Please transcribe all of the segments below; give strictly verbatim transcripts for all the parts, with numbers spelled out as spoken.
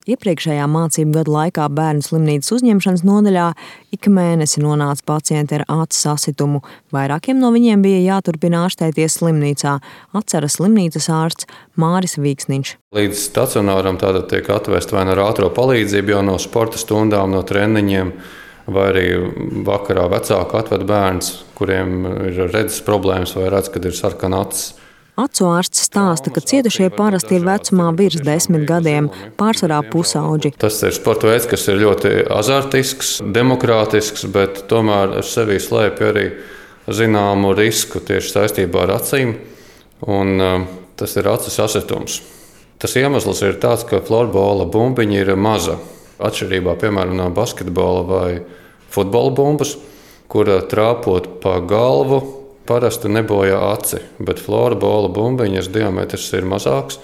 Iepriekšējā mācību gada laikā bērnu slimnīcas uzņemšanas nodaļā ik mēnesi nonāca pacienti ar acu sasitumu. Vairākiem no viņiem bija jāturpina ārstēties slimnīcā, atceras slimnīcas ārsts Māris Vīksniņš. Līdz stacionāram tātad tiek atvest vai ar ātro palīdzību jau no sporta stundām, no treniņiem, vai arī vakarā vecāku atved bērns, kuriem ir redzes problēmas vai redz, kad ir sarkana acis. Acu ārsts stāsta, ka cietušie parasti ir vecumā virs desmit gadiem, pārsvarā pusauģi. Tas ir sporta veids, kas ir ļoti azartisks, demokrātisks, bet tomēr ar sevī slēpj arī zināmu risku tieši saistībā ar acīm, un uh, tas ir acu sasitums. Tas iemesls ir tāds, ka florbola bumbiņa ir maza, atšķirībā piemēram no basketbola vai futbola bumbas, kura trāpot pa galvu parasti nebojā aci, bet florbola bumbiņas diametrs ir mazāks,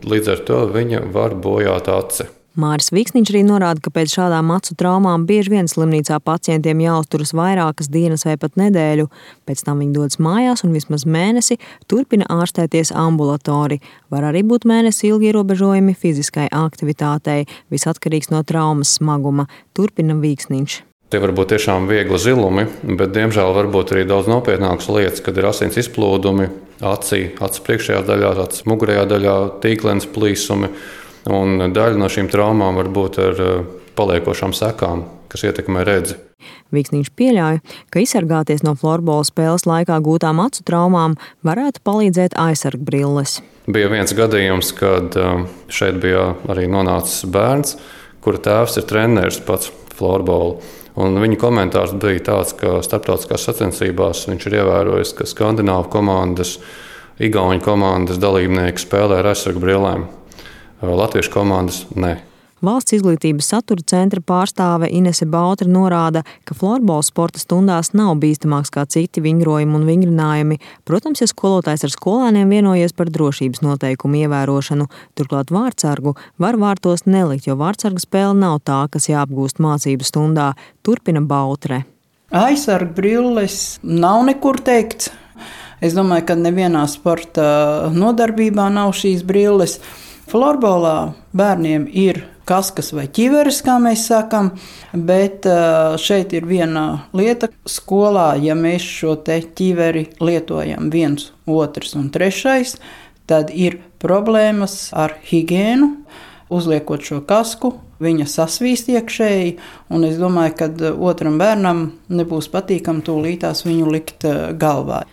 līdz ar to viņa var bojāt aci. Māris Vīksniņš arī norāda, ka pēc šādām acu traumām bieži vien slimnīcā pacientiem jāuzturas vairākas dienas vai pat nedēļu. Pēc tam viņi dodas mājās un vismaz mēnesi turpina ārstēties ambulatori. Var arī būt mēnesi ilgi ierobežojumi fiziskai aktivitātei, viss atkarīgs no traumas smaguma, turpina Vīksniņš. Tie var būt tiešām viegli zilumi, bet diemžēl var būt arī daudz nopietnākas lietas, kad ir asins izplūdumi acī, acis priekšējā daļā, acis mugurējā daļā, tīklens plīsumi. Un daļa no šīm traumām var būt ar paliekošām sekām, kas ietekmē redzi. Vīksniņš pieļauj, ka izsargāties no florbola spēles laikā gūtām acu traumām varētu palīdzēt aizsargbrilles. Bija viens gadījums, kad šeit bija arī nonācis bērns, kura tēvs ir treneris pats florbola. Un viņa komentārs bija tāds, ka starptautiskās sacensībās viņš ir ievērojis, ka skandināvu komandas, igauņu komandas dalībnieki spēlē ar aizsargbrillēm. Latviešu komandas ne. Valsts izglītības satura centra pārstāve Inese Bautre norāda, ka florbola sporta stundās nav bīstamāks kā citi vingrojumi un vingrinājumi. Protams, ja skolotājs ar skolēniem vienojies par drošības noteikumu ievērošanu, turklāt vārtsargu var vārtos nelikt, jo vārtsarga spēle nav tā, kas jāapgūst mācību stundā, turpina Bautre. Aizsargbrilles nav nekur teikts. Es domāju, ka nevienā sporta nodarbībā nav šīs brilles. Florbolā bērniem ir kaskas vai ķiveres, kā mēs sakam, bet šeit ir viena lieta. Skolā, ja mēs šo te ķiveri lietojam viens, otrs un trešais, tad ir problēmas ar higiēnu. Uzliekot šo kasku, viņa sasvīst iekšēji, un es domāju, ka otram bērnam nebūs patīkam tūlītās viņu likt galvā.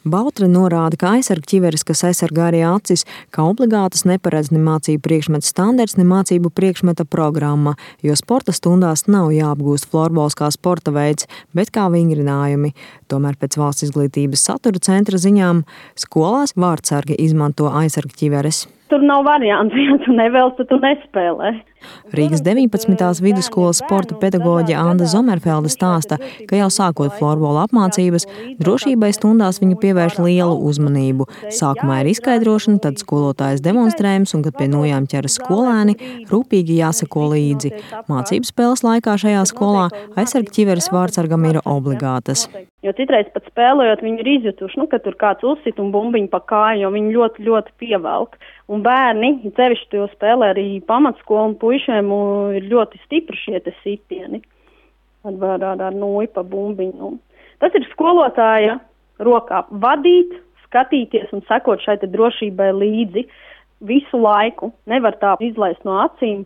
Bautre norāda, ka aizsargķiveres, kas aizsargā arī acis, ka obligātas neparedz ne mācību priekšmeta standarts, ne mācību priekšmeta programma, jo sporta stundās nav jāapgūst florbols kā sporta veids, bet kā vingrinājumi. Tomēr pēc Valsts izglītības satura centra ziņām skolās vārtsargi izmanto aizsargķiveres. Tur nav variants, ja tu nevēlas, tad tu nespēlē. Rīgas deviņpadsmitās vidusskolas sporta pedagoģe Anda Zomerfelde stāsta, ka jau sākot florbola apmācības, drošībai stundās viņa pievērš lielu uzmanību. Sākumā ir izskaidrošana, tad skolotājs demonstrējums, un kad pie nojām ķeras skolēni, rūpīgi jāseko līdzi. Mācību spēles laikā šajā skolā aizsargķiveres vārtsargam ir obligātas. Jo citreiz pat spēlējot, viņi ir izjutuši, nu, ka tur kāds uzsit un bumbiņu pa kāju, jo viņi ļoti, ļoti pievelk. Un bērni, cevišķi to spēlē arī pamatskolu un puišiem, ir ļoti stipri šie te sitieni. Ar, ar, ar nūju pa bumbiņu. Tas ir skolotāja rokā vadīt, skatīties un sekot šai te drošībai līdzi visu laiku. Nevar tā izlaist no acīm.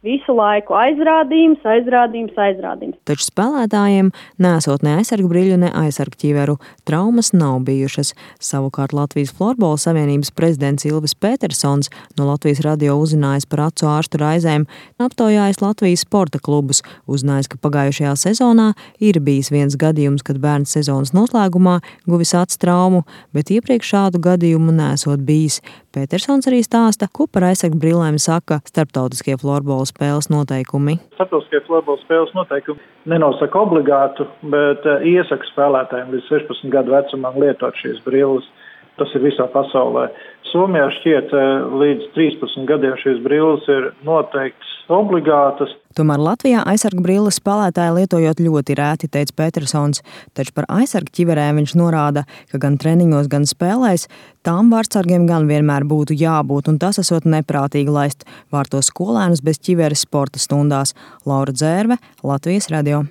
Visu laiku aizrādījums, aizrādījums, aizrādījums. Taču spēlētājiem nesot ne aizsargbriļu, ne aizsargķiveru, traumas nav bijušas. Savukārt Latvijas florbola savienības prezidents Ilvis Petersons no Latvijas radio uzzinājis par acu ārstu raizēm, aptaujājis Latvijas sporta klubus, uzzinājis, ka pagājušajā sezonā ir bijis viens gadījums, kad bērns sezonas noslēgumā guvis acu traumu, bet iepriekš šādu gadījumu nesot bijis. Petersons arī stāsta, ko par aizsargbrillēm saka starptautiskie florbola spēles noteikumi. Starptautiskie florbola spēles noteikumi nenosaka obligātu, bet iesaka spēlētājiem līdz sešpadsmit gadu vecumam lietot šīs brilles. Tas ir visā pasaulē. Somijā šķiet līdz trīspadsmit gadiem šīs brilles ir noteikts obligātas. Tomēr Latvijā aizsargu brilles spēlētāji lietojot ļoti rēti, teica Petersons, taču par aizsargu ķiverēm viņš norāda, ka gan treniņos, gan spēlēs tām vārtsargiem gan vienmēr būtu jābūt, un tas esot neprātīgi laist vārtos skolēnus bez ķiveres sporta stundās. Laura Dzērve, Latvijas radio.